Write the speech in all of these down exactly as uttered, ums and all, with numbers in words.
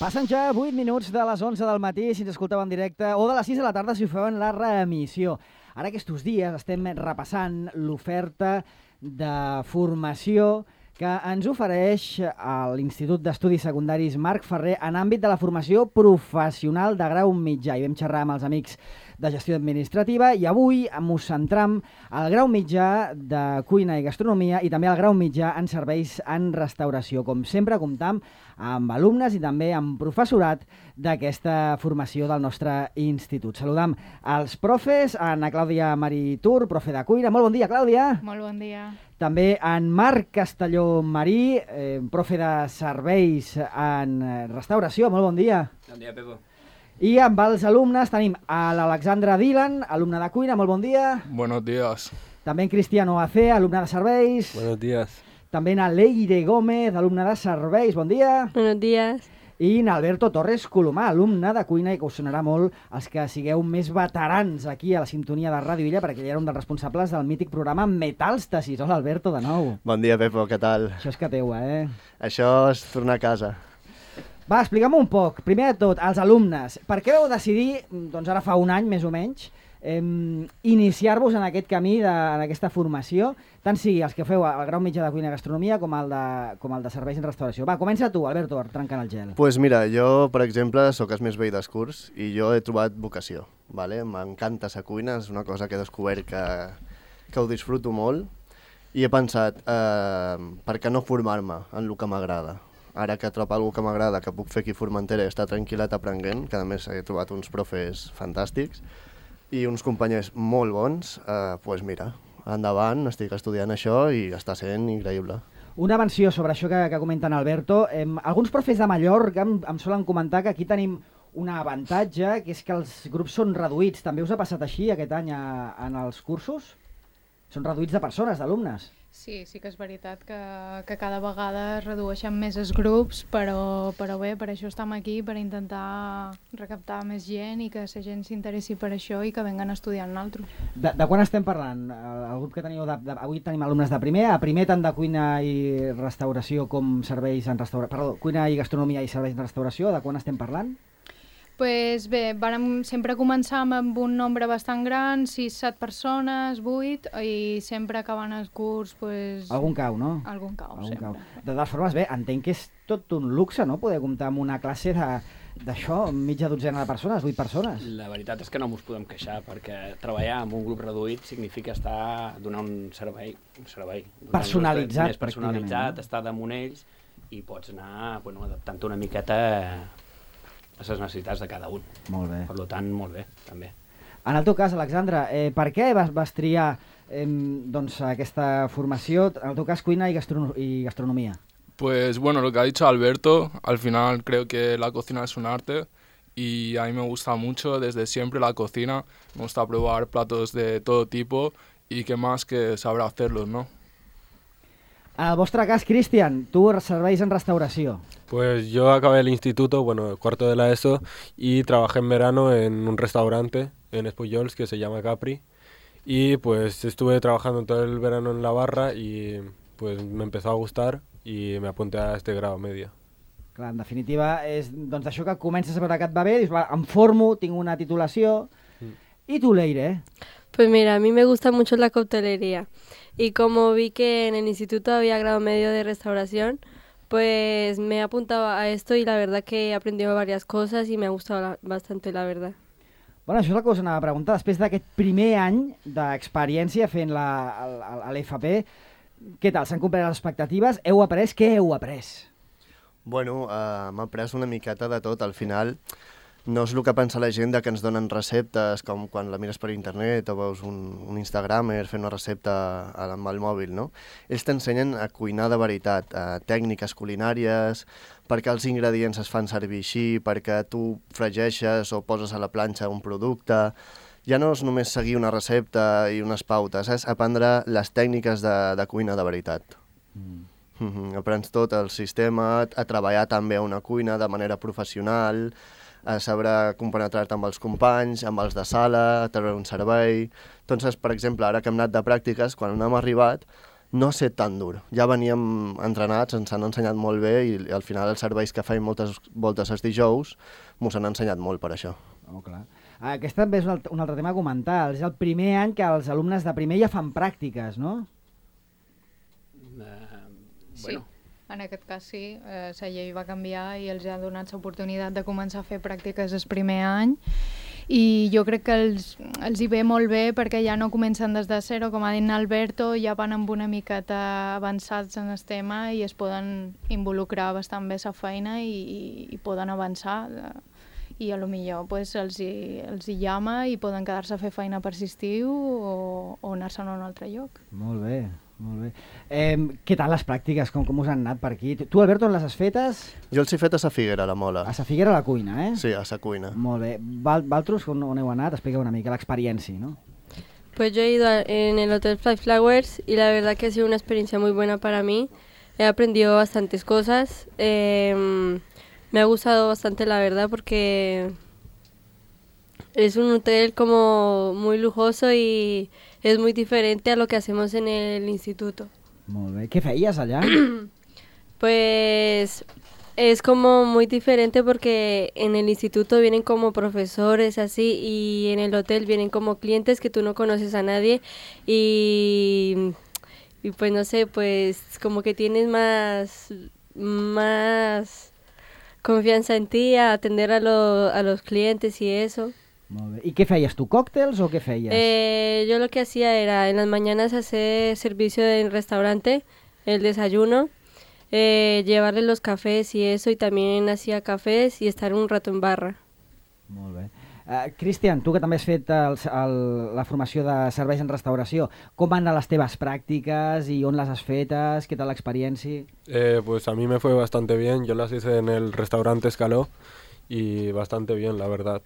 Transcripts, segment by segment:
Passen ja vuit minuts de les onze del matí, si ens escolteu en directe, o de les sis de la tarda si ho feu en la reemissió. Ara aquests dies estem repassant l'oferta de formació que ens ofereix l'Institut d'Estudis Secundaris Marc Ferrer en àmbit de la formació professional de grau mitjà. I vam xerrar amb els amics de gestió administrativa i avui ens centram al grau mitjà de cuina i gastronomia i també al grau mitjà en serveis en restauració. Com sempre, comptam amb alumnes i també amb professorat d'aquesta formació del nostre institut. Saludam als profes, Ana Clàudia Maritur, profe de cuina. Molt bon dia, Clàudia. Molt bon dia. També en Marc Castelló Marí, eh, profe de serveis en restauració. Molt bon dia. Bon dia, Pepo. I amb els alumnes tenim a l'Alexandra Dylan, alumne de cuina. Molt bon dia. Buenos días. També en Cristiano Acé, alumne de serveis. Buenos días. També en Leire Gómez, alumne de serveis. Bon dia. Buenos días. I en Alberto Torres Colomà, alumne de cuina, i que us sonarà molt els que sigueu més veterans aquí a la sintonia de Ràdio Illa, perquè ell era un dels responsables del mític programa Metàlstasis. Hola, Alberto, de nou. Bon dia, Pepo, què tal? Això és que teua, eh? Això és tornar a casa. Va, explica'm un poc. Primer de tot, als alumnes, per què vau decidir, doncs ara fa un any més o menys, eh, iniciar-vos en aquest camí, de, en aquesta formació, tant sigui els que feu el grau mitjà de cuina i gastronomia com el de, com el de serveis en restauració? Va, comença tu, Alberto, trencant el gel. Doncs pues mira, jo, per exemple, sóc el més vell dels curs i jo he trobat vocació. Vale? M'encanta la cuina, és una cosa que he descobert que, que ho disfruto molt i he pensat, eh, per què no formar-me en el que m'agrada? Ara que trobo alguna que m'agrada, que puc fer aquí a Formentera i estar tranquil·let aprenent, que a més he trobat uns profes fantàstics i uns companys molt bons, eh, doncs mira, endavant, estic estudiant això i està sent increïble. Una menció sobre això que, que comenten Alberto. Eh, alguns profes de Mallorca em, em solen comentar que aquí tenim un avantatge, que és que els grups són reduïts. També us ha passat així aquest any a, en els cursos? Són reduïts de persones, d'alumnes. Sí, sí que és veritat que, que cada vegada es redueixen més els grups, però, però bé, per això estem aquí, per intentar recaptar més gent i que la gent s'interessi per això i que venguen a estudiar amb nosaltres. De, de quan estem parlant? El, el grup que teniu, de, de, avui tenim alumnes de primer, a primer tant de cuina i restauració com serveis en restauració, perdó, cuina i gastronomia i serveis en restauració, de quan estem parlant? Pues bé, vàrem sempre començar amb un nombre bastant gran, sis set persones, vuit, i sempre acabant el curs, pues... Algun cau, no? Algun cau, Algun sempre. Cau. De totes formes, bé, entenc que és tot un luxe, no?, poder comptar amb una classe de d'això, mitja dotzena de persones, vuit persones. La veritat és que no mos podem queixar, perquè treballar amb un grup reduït significa estar donar un servei, un servei personalitzat, més personalitzat, no? Estar damunt ells i pots anar, bueno, adaptant-te una miqueta a les necessitats de cada un. Molt bé. Per tant, molt bé, també. En el teu cas, Alexandra, eh, per què vas, vas triar eh, doncs, aquesta formació, en el teu cas, cuina i, gastrono y gastronomía? Pues bueno, lo que ha dicho Alberto, al final creo que la cocina es un arte y a mí me gusta mucho desde siempre la cocina, me gusta probar platos de todo tipo y qué más que saber hacerlos, ¿no? En el vostre cas, Cristian, tu serveis en restauració. Pues yo acabé el instituto, bueno, cuarto de la ESO, y trabajé en verano en un restaurante en Espullols que se llama Capri. Y pues estuve trabajando todo el verano en la barra y pues me empezó a gustar y me apunté a este grado medio. Clar, en definitiva, és doncs, això que comences a veure que et va bé, dius, va, em formo, tinc una titulació... Mm. I tu, Leire? Pues mira, a mí me gusta mucho la coctelería. Y como vi que en el instituto había grado medio de restauración, pues me he apuntado a esto y la verdad que he aprendido varias cosas y me ha gustado la, bastante, la verdad. Bueno, això és el que us anava a preguntar. Després d'aquest primer any d'experiència fent la, a l'F P, què tal? S'han complert les expectatives? Heu après? Què heu après? Bueno, uh, m'he après una miqueta de tot. Al final, no és el que pensa la gent de que ens donen receptes, com quan la mires per internet o veus un, un Instagramer fent una recepta amb el mòbil, no? Ells t'ensenyen a cuinar de veritat, a tècniques culinàries, perquè els ingredients es fan servir així, perquè tu fregeixes o poses a la planxa un producte. Ja no és només seguir una recepta i unes pautes, és aprendre les tècniques de, de cuina de veritat. Mm. Mm-hmm. Aprens tot el sistema, a treballar també a una cuina de manera professional, a saber compenetrar-te amb els companys, amb els de sala, a treure un servei. Entonces, per exemple, ara que hem anat de pràctiques, quan hem arribat, no ha estat tan dur. Ja veníem entrenats, ens han ensenyat molt bé i al final els serveis que faig moltes voltes els dijous mos han ensenyat molt per això. Oh, clar. Aquest també és un altre, un altre tema a comentar. És el primer any que els alumnes de primer ja fan pràctiques, no? Uh, Sí, bueno. en aquest cas sí. Eh, la llei va canviar i els ha donat l'oportunitat de començar a fer pràctiques el primer any i jo crec que els, els hi ve molt bé perquè ja no comencen des de zero, com ha dit Alberto, ja van amb una miqueta avançats en el tema i es poden involucrar bastant bé la feina i, i, i poden avançar. I a lo millor pues, els, hi, els hi llama i poden quedar-se a fer feina per estiu o, o anar-se'n a un altre lloc. Molt bé, molt bé. Eh, què tal les pràctiques? Com, com us han anat per aquí? Tu, Alberto, on les has fetes? Jo els he fet a sa Figuera, a la Mola. A sa Figuera, a la cuina, eh? Sí, a sa cuina. Molt bé. Val, Valtros, on, on heu anat? Expliqueu una mica l'experiència, ¿no? Pues yo he ido a- en el Hotel Fly Flowers y la verdad que ha sido una experiencia muy buena para mí. He aprendido bastantes cosas. Eh, me ha gustado bastante, la verdad, porque es un hotel como muy lujoso y es muy diferente a lo que hacemos en el instituto. Molt bé. Què feies allà? Pues es como muy diferente porque en el instituto vienen como profesores así y en el hotel vienen como clientes que tú no conoces a nadie y, y pues no sé, pues como que tienes más, más confianza en ti a atender a, lo- a los clientes y eso. Molt bé. I què feies tu? Còctels o què feies? Eh, yo lo que hacía era en las mañanas hacer servicio en restaurante, el desayuno, eh, llevarle los cafés y eso, y también hacía cafés y estar un rato en barra. Molt bé. Uh, Cristian, tu que també has fet el, el, la formació de serveis en restauració, com van anar les teves pràctiques i on les has fetes? Què tal l'experiència? Eh, pues a mí me fue bastante bien, yo las hice en el restaurante Escaló y bastante bien, la verdad.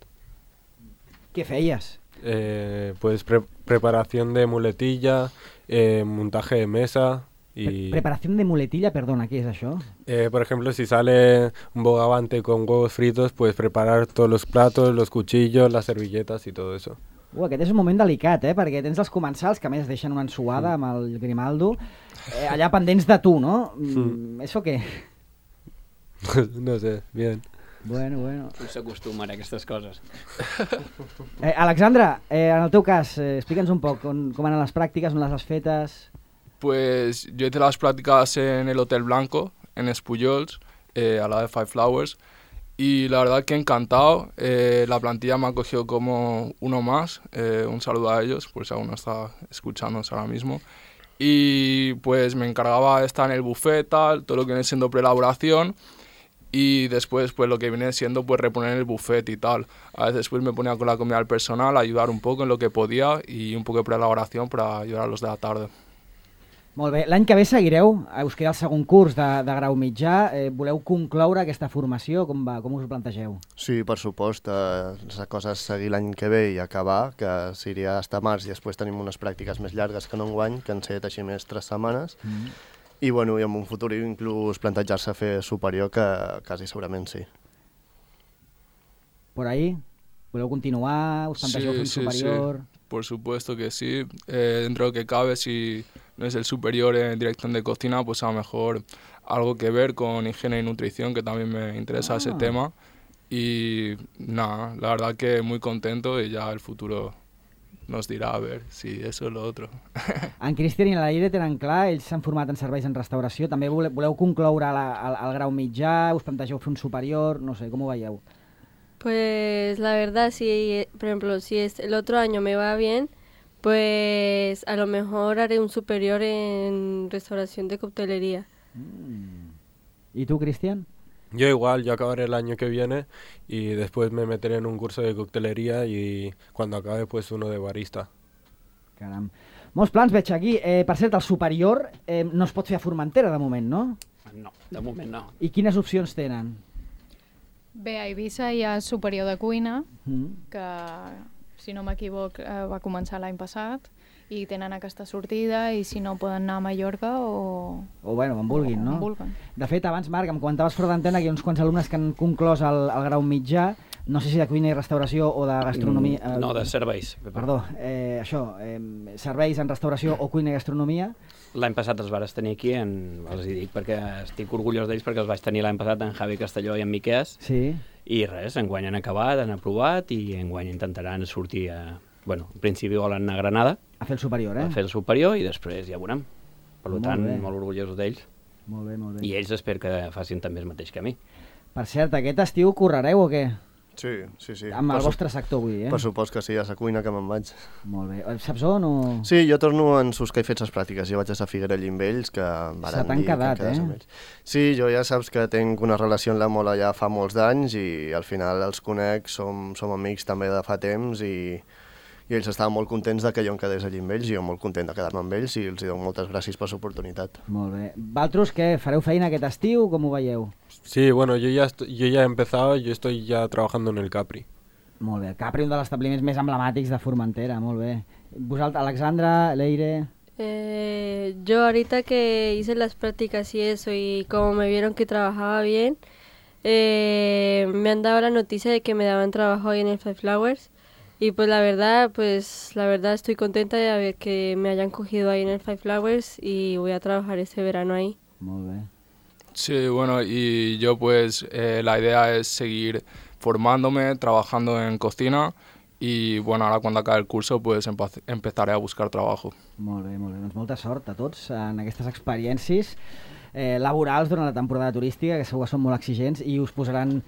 Què feies? Eh, pues pre- preparación de muletilla, eh, montaje de mesa Pre y... Preparació de muletilla, perdona, què és això? Eh, por ejemplo, si sale un bogavante con huevos fritos, pues preparar todos los platos, los cuchillos, las servilletas y todo eso. Uh, aquest és un moment delicat, eh? Perquè tens els comensals que a més deixen una ensuada amb el Grimaldo, eh, allà pendents de tu, no? Mm, ¿Eso què? No sé, bien. Bueno, bueno. No s'acostumen a aquestes coses. Eh, Alexandra, eh, en el teu cas, eh, explica'ns un poc on, com van les pràctiques, on les has fetes... Pues yo hice las prácticas en el Hotel Blanco, en Espullols, eh, a la de Five Flowers, y la verdad que encantado. Eh, la plantilla me ha cogido como uno más. Eh, un saludo a ellos, pues aún no está escuchándonos ahora mismo. Y pues me encargaba de estar en el buffet, tal, todo lo que viene siendo preelaboración. Y después pues lo que viene siendo pues reponer el buffet y tal. A veces pues me ponía con la comida del personal, ayudar un poco en lo que podía y un poco de preelaboración para ayudar a los de la tarde. Molt bé, l'any que ve seguireu, eh, us queda el segon curs de, de grau mitjà, eh, voleu concloure aquesta formació, com, va, com us ho plantegeu? Sí, per supost. Eh, la cosa és seguir l'any que ve i acabar, que seria hasta març, i després tenim unes pràctiques més llargues que no enguany, que han set així més tres setmanes. Mm. I, bueno, i en un futur inclús plantejar-se a fer superior, que quasi segurament sí. Por ahí? Voleu continuar? Us plantegeu fer un superior? Sí. Por supuesto que sí. Eh, dentro de lo que cabe, si no es el superior en dirección de cocina, pues a lo mejor algo que ver con higiene y nutrición, que también me interesa Ah. ese tema. Y nada, la verdad que muy contento y ya el futuro nos dirá a ver si eso o lo otro. En Cristian i en l'Aire tenen clar, ells s'han format en serveis en restauració, també voleu, voleu concloure la, el, el grau mitjà, us plantegeu fer un superior, no sé, com ho veieu? Pues la verdad, si, por ejemplo, si es el otro año me va bien, pues a lo mejor haré un superior en restauración de coctelería. Mm. I tu, Cristian? Yo igual, yo acabaré el año que viene y después me meteré en un curso de coctelería y cuando acabe pues uno de barista. Caram. Molts plans veig aquí. Eh, per cert, el superior eh, no es pot fer a Formentera de moment, no? No, de moment no. I quines opcions tenen? Bé, a Eivissa hi ha superior de cuina, Mm. que, si no m'equivoc, eh, va començar l'any passat, i tenen aquesta sortida, i si no poden anar a Mallorca o... O bueno, on vulguin, o no? on vulguin. De fet, abans, Marc, em comentaves fora d'antena que hi ha uns quants alumnes que han conclòs el, el grau mitjà. no sé si de cuina i restauració o de gastronomia... Mm, no, de serveis. Perdó, eh, això, eh, serveis en restauració o cuina i gastronomia. L'any passat els vares tenir aquí, en, els hi dic perquè estic orgullós d'ells perquè els vaig tenir l'any passat en Javi Castelló i en Miquès. Sí. I res, enguany han acabat, han aprovat i enguany intentaran sortir a... Bueno, en principi volen anar a Granada. A fer el superior, eh? A fer el superior i després ja veurem. Per Molt tant, bé. molt orgullosos d'ells. Molt bé, molt bé. I ells espero que facin també el mateix que a mi. Per cert, aquest estiu correreu o què? Sí, sí, sí. Amb el Per vostre sector, vull dir, eh? Per supòs que sí, a la cuina que me'n vaig. Molt bé. Saps on o...? Sí, jo torno en sus que he fet les pràctiques. Jo vaig estar a Figuerell amb ells, que varen Se t'han dir que quedat, quedés eh? amb ells. Sí, jo ja saps que tinc una relació amb la Mola ja fa molts d'anys i al final els conec, som, som amics també de fa temps i, i ells estaven molt contents de que jo em quedés allí amb ells i jo molt content de quedar-me amb ells i els dono moltes gràcies per l'oportunitat. Molt bé. Valtros, què? Fareu feina aquest estiu? Com ho veieu? Sí, bueno, yo ya, estoy, yo ya he empezado, yo estoy ya trabajando en el Capri. Molt bé. Capri, un dels establiments més emblemàtics de Formentera, molt bé. Vosaltres, Alexandra, Leire... Eh, yo ahorita que hice las prácticas y eso, y como me vieron que trabajaba bien, eh, me han dado la noticia de que me daban trabajo ahí en el Five Flowers. Y pues la verdad, pues la verdad estoy contenta de haber que me hayan cogido ahí en el Five Flowers y voy a trabajar este verano ahí. Molt bé. Sí, bueno, y yo pues eh, la idea es seguir formándome, trabajando en cocina y bueno, ahora cuando acabe el curso pues empe- empezaré a buscar trabajo. Molt bé, molt bé. Doncs molta sort a tots en aquestes experiències eh, laborals durant la temporada turística, que segur que són molt exigents i us posaran,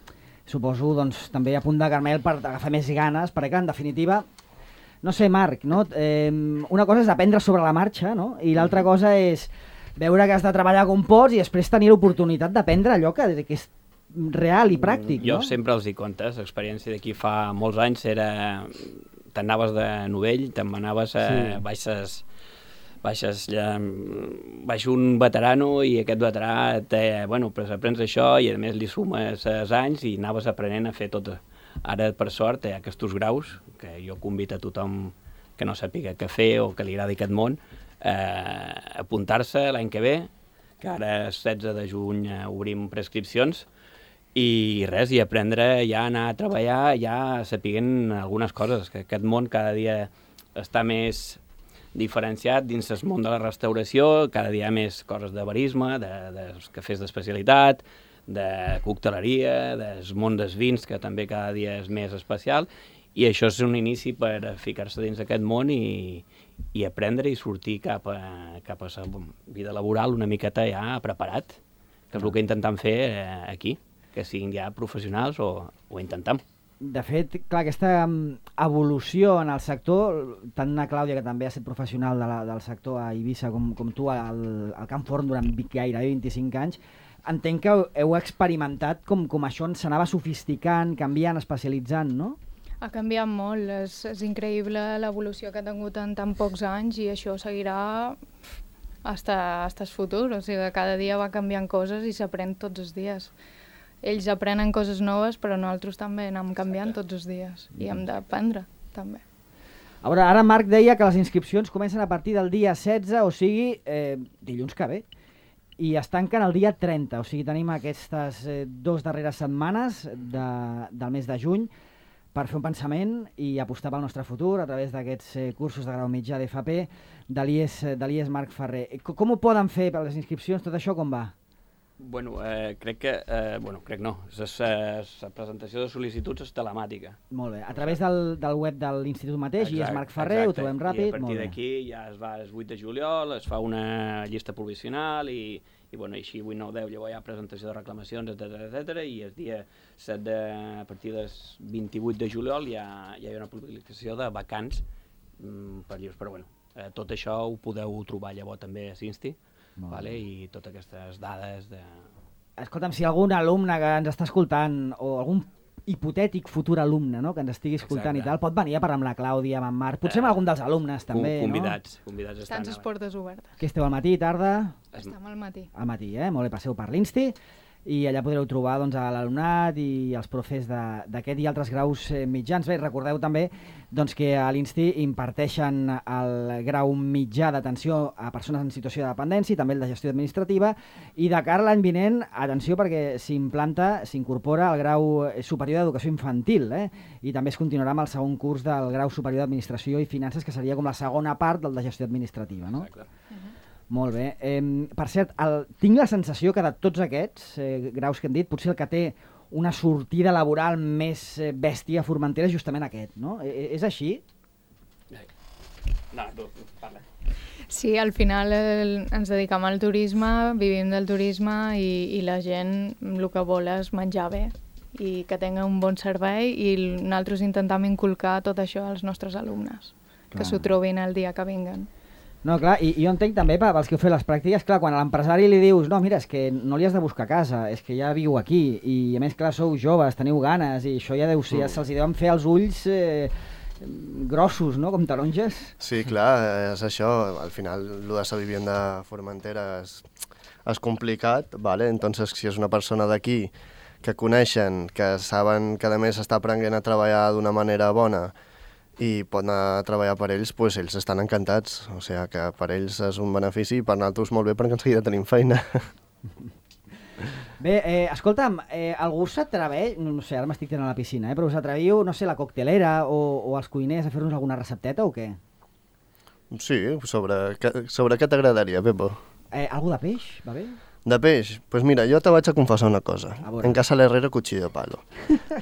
suposo, doncs, també a punt de carmel per agafar més ganes, perquè en definitiva, no sé, Marc, no? Eh, una cosa és aprendre sobre la marxa, no? I l'altra cosa és veure que has de treballar com pots i després tenir l'oportunitat d'aprendre allò que, que és real i pràctic, jo no? sempre els dic comptes, l'experiència d'aquí fa molts anys era... T'anaves de novell, te'n anaves a Sí. baixes... baixes ja, baix un veterano i aquest veterà te, bueno, pues aprens això i a més li sumes els anys i anaves aprenent a fer tot. Ara, per sort, hi ha aquests graus, que jo convido a tothom que no sàpiga què fer o que li agradi aquest món, eh, apuntar-se l'any que ve, que ara setze de juny eh, obrim prescripcions, i res, i aprendre ja a anar a treballar, ja sapiguent algunes coses, que aquest món cada dia està més diferenciat dins el món de la restauració, cada dia hi ha més coses de barisme, de, de cafès d'especialitat, de cocteleria, del món dels vins, que també cada dia és més especial, i això és un inici per ficar-se dins d'aquest món i, i aprendre i sortir cap a, cap a la vida laboral una miqueta ja preparat, que és el que intentem fer eh, aquí, que siguin ja professionals o, o intentem. De fet, clar, aquesta mm, evolució en el sector, tant na Clàudia, que també ha estat professional de la, del sector a Eivissa, com, com tu al, al Camp Forn durant gairebé vint-i-cinc anys, entenc que heu experimentat com, com això s'anava sofisticant, canviant, especialitzant, no? Ha canviat molt, és, és increïble l'evolució que ha tingut en tan pocs anys i això seguirà hasta, hasta el futur, o sigui, cada dia va canviant coses i s'aprèn tots els dies. Ells aprenen coses noves, però nosaltres també anem canviant tots els dies i hem d'aprendre, també. A veure, ara Marc deia que les inscripcions comencen a partir del dia setze, o sigui, eh, dilluns que ve, i es tanquen el dia trenta, o sigui, tenim aquestes eh, dos darreres setmanes de, del mes de juny per fer un pensament i apostar pel nostre futur a través d'aquests eh, cursos de grau mitjà d'F P de l'I E S, de l'I E S Marc Ferrer. Com, com ho poden fer per les inscripcions? Tot això com va? Bueno, eh, crec que... Eh, bueno, crec no. La presentació de sol·licituds és telemàtica. Molt bé. A través del, del web de l'Institut mateix, i és Marc Ferrer, ho trobem ràpid. I a partir d'aquí ja es va el vuit de juliol, es fa una llista provisional i, i bueno, així vuit, nou, deu, llavors hi ha presentació de reclamacions, etcètera, etcètera, i el dia set de, a partir del vint-i-vuit de juliol ja, ja hi ha una publicació de vacants mm, per llibres. Però bueno, eh, tot això ho podeu trobar llavors també a Sinsti. Vale, i totes aquestes dades de... Escolta'm, si algun alumne que ens està escoltant o algun hipotètic futur alumne, no?, que ens estigui escoltant, exacte, i tal, pot venir a parlar amb la Clàudia, amb en Marc, potser amb algun dels alumnes també, convidats, no? Convidats estan les portes obertes. Que esteu al matí, tarda? Estem al matí. Al matí, eh? Molt bé, passeu per l'Insti i allà podreu trobar doncs, a l'alumnat i els profes d'aquest i altres graus eh, mitjans. Bé, recordeu també doncs, que a l'I N S T I imparteixen el grau mitjà d'atenció a persones en situació de dependència i també el de gestió administrativa, i de cara a l'any vinent, atenció, perquè s'implanta, s'incorpora el grau superior d'educació infantil, eh? I també es continuarà amb el segon curs del grau superior d'administració i finances, que seria com la segona part del de gestió administrativa, no? Exacte. Uh-huh. Molt bé. Eh, per cert, el, tinc la sensació que de tots aquests eh, graus que hem dit, potser el que té una sortida laboral més eh, bèstia a Formentera és justament aquest, no? Eh, és així? No, tu, parla. Sí, al final el, ens dedicam al turisme, vivim del turisme i, i la gent el que vol és menjar bé i que tinga un bon servei, i nosaltres intentem inculcar tot això als nostres alumnes, Clar. que s'ho trobin el dia que vinguen. No, clar, i, i jo entenc també, pels que heu fet les pràctiques, clar, quan a l'empresari li dius no, mira, és que no li has de buscar casa, és que ja viu aquí, i a més, clar, sou joves, teniu ganes, i això ja deu ser, ja se'ls deuen fer els ulls eh, grossos, no?, com taronges. Sí, clar, és això, al final, el de ser vivint de Formentera és, és complicat, ¿vale? Entonces, si és una persona d'aquí que coneixen, que saben que a més està aprenent a treballar d'una manera bona, i pot anar a treballar per ells, pues ells estan encantats. O sigui que per ells és un benefici i per nosaltres molt bé perquè en seguida tenim feina. Bé, eh, escolta'm, eh, algú s'atreveix, no, no sé, ara m'estic tirant a la piscina, eh, però us atreviu, no sé, la coctelera o, o els cuiners a fer-nos alguna recepteta o què? Sí, sobre, sobre què t'agradaria, Pepo? Eh, algú de peix, va bé? De peix? Doncs pues mira, jo te vaig a confessar una cosa. En casa l'herrero cuchillo de palo.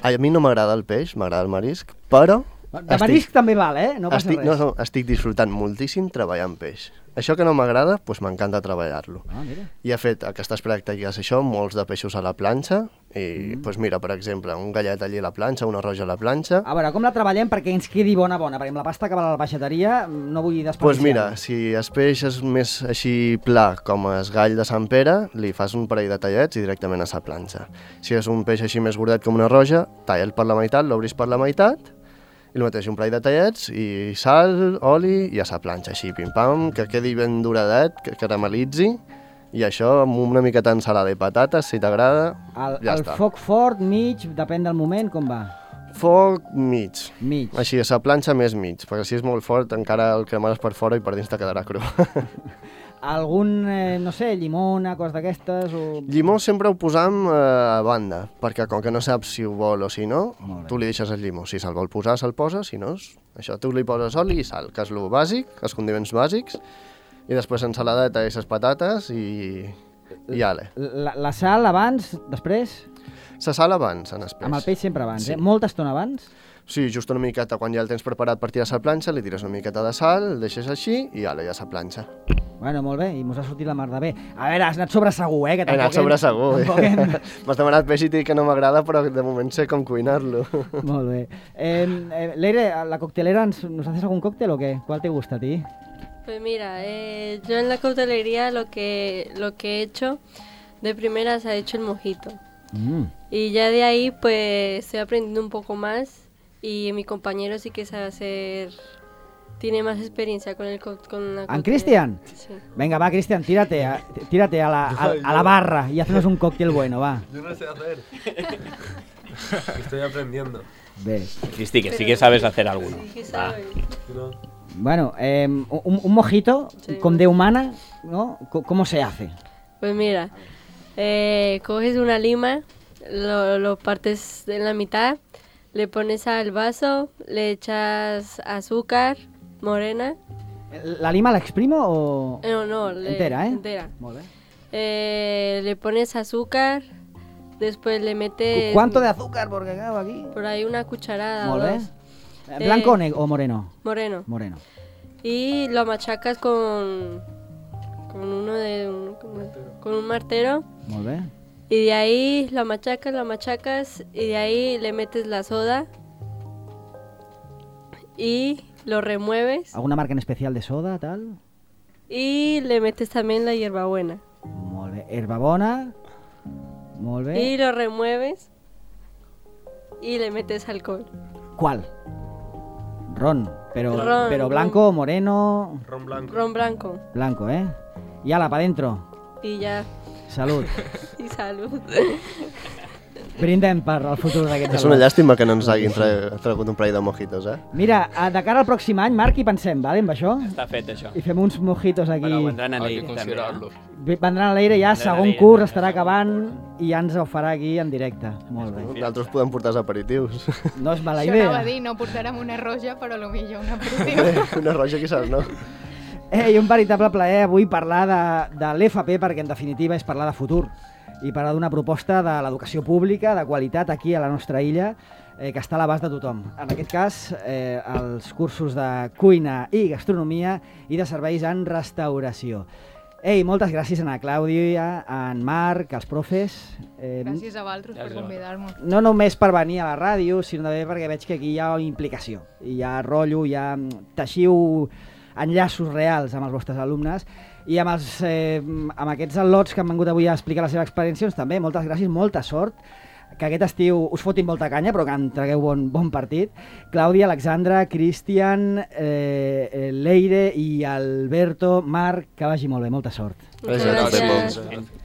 A mi no m'agrada el peix, m'agrada el marisc, però... De marisc també val, eh? No passa estic, res. No, no, estic disfrutant moltíssim treballant peix. Això que no m'agrada, doncs m'encanta treballar-lo. Ah, mira. I he fet aquestes pràctiques, això, molts de peixos a la planxa, i mm. doncs mira, per exemple, un gallet allí a la planxa, una roja a la planxa. A veure, com la treballem perquè ens quedi bona, bona? Perquè amb la pasta que va a la peixateria no vull desperdiciar. Doncs pues mira, si el peix és més així pla com el gall de Sant Pere, li fas un parell de tallets i directament a la planxa. Si és un peix així més gordet com una roja, talla'l per la meitat, l'obris per la meitat, i el mateix, un parell de tallets, i sal, oli, i a la planxa, així, pim-pam, que quedi ben duradet, que caramelitzi, i això amb una miqueta d'ensalada i patates, si t'agrada, el, ja el està. Foc fort, mig, depèn del moment, com va? Foc mig. Mig. Així, a la planxa més mig, perquè si és molt fort encara el cremaràs per fora i per dins te quedarà cru. Algun, eh, no sé, llimona, cos d'aquestes? O... Llimó sempre ho posam eh, a banda, perquè com que no saps si ho vol o si no, tu li deixes el llimó. Si se'l vol posar, se'l posa, si no, això tu li poses oli i sal, que és el bàsic, els condiments bàsics, i després ensaladeta i les patates i, i ale. La, la sal abans, després? La sal abans, en després. Amb el peix sempre abans, Sí. eh? Molta estona abans? Sí, just una miqueta, quan ja el tens preparat per tirar a la planxa, li tires una miqueta de sal, el deixes així i ale, ja a la planxa. Bueno, molt bé, i mos ha sortit la mar de bé. A veure, has anat sobre segur, eh? Que He anat tampoc sobre hem- segur, tampoc eh? hem- M'has demanat peix i t'he dit que no m'agrada, però de moment sé com cuinar-lo. Molt bé. Eh, eh, Leire, a la coctelera, ens, ¿nos haces algún cóctel o qué? ¿Cuál te gusta a ti? Pues mira, eh, yo en la coctelería lo que, lo que he hecho de primeras ha hecho el mojito. Mm. Y ya de ahí pues estoy aprendiendo un poco más y mi compañero sí que sabe hacer, tiene más experiencia con el co- con la ¿En coctelería. Cristian? Sí. Venga, va, Cristian, tírate a, tírate a la, a, a la barra y haznos un cóctel bueno, va. Yo no sé hacer. Estoy aprendiendo. Bé. Cristi, que sí que sabes hacer alguno. Sí que Va. sabe. No. Bueno, eh, un, un mojito Sí. con de humana, ¿no? Co- ¿Cómo se hace? Pues mira, eh, coges una lima, lo, lo partes en la mitad, le pones al vaso, le echas azúcar morena. ¿La lima la exprimo o...? Eh, No, no, le- Entera, eh? entera. Molt bé. Eh, le pones azúcar, después le metes... ¿Cuánto de azúcar? Porque claro, aquí... Por ahí una cucharada o Molt bé. dos. Eh, ¿Blanco Eh, o, neg- o moreno? Moreno. Moreno. Y lo machacas con, con uno de un, con- con un martero. Molt bé. Y de ahí lo machacas, lo machacas y de ahí le metes la soda y lo remueves ¿Alguna marca en especial de soda, tal? y le metes también la hierbabuena Molt bé. Herbabona. Molt bé. y lo remueves y le metes alcohol. ¿Cuál? Ron. Pero, Ron, pero ron. blanco, moreno... Ron blanco. Ron blanco Blanco, ¿eh? Y ala, para adentro. y ya. Salut. I salut. Brindem per al futur d'aquests És una al·lots. llàstima que no ens hagin tra- tragut un parell de mojitos, eh? Mira, a- de cara al pròxim any, Marc, hi pensem, vale, amb això? Està fet, això. I fem uns mojitos aquí. Però vendran a Hay que l'Eire, també. considerarlo. Bé, vendran a l'Eire ja, Vendran a segon l'Eire, curs, també, estarà segon acabant i ja ens ho farà aquí en directe. Molt bé. Nosaltres podem portar els aperitius. No és mala Això anava idea. a dir, no portarem una roja, però potser un aperitiu. Una roja, quizás, no? Eh, i un veritable plaer avui parlar de, de l'F P, perquè en definitiva és parlar de futur i parlar d'una proposta de l'educació pública de qualitat aquí a la nostra illa, eh, que està a l'abast de tothom. En aquest cas, eh, els cursos de cuina i gastronomia i de serveis en restauració. Ei, moltes gràcies a la Clàudia, a en Marc, als profes. Eh, Gràcies a vosaltres per Gràcies a convidar-me. no només per venir a la ràdio, sinó també perquè veig que aquí hi ha implicació, hi ha rotllo, hi ha teixiu enllaços reals amb els vostres alumnes i amb, els, eh, amb aquests al·lots que han vengut avui a explicar la seva experiència, doncs també moltes gràcies, molta sort, que aquest estiu us fotin molta canya, però que en tragueu bon, bon partit. Clàudia, Alexandra, Cristian, eh, eh, Leire i Alberto, Marc, que vagi molt bé, molta sort. Muchas Gràcies. gracias. Gràcies.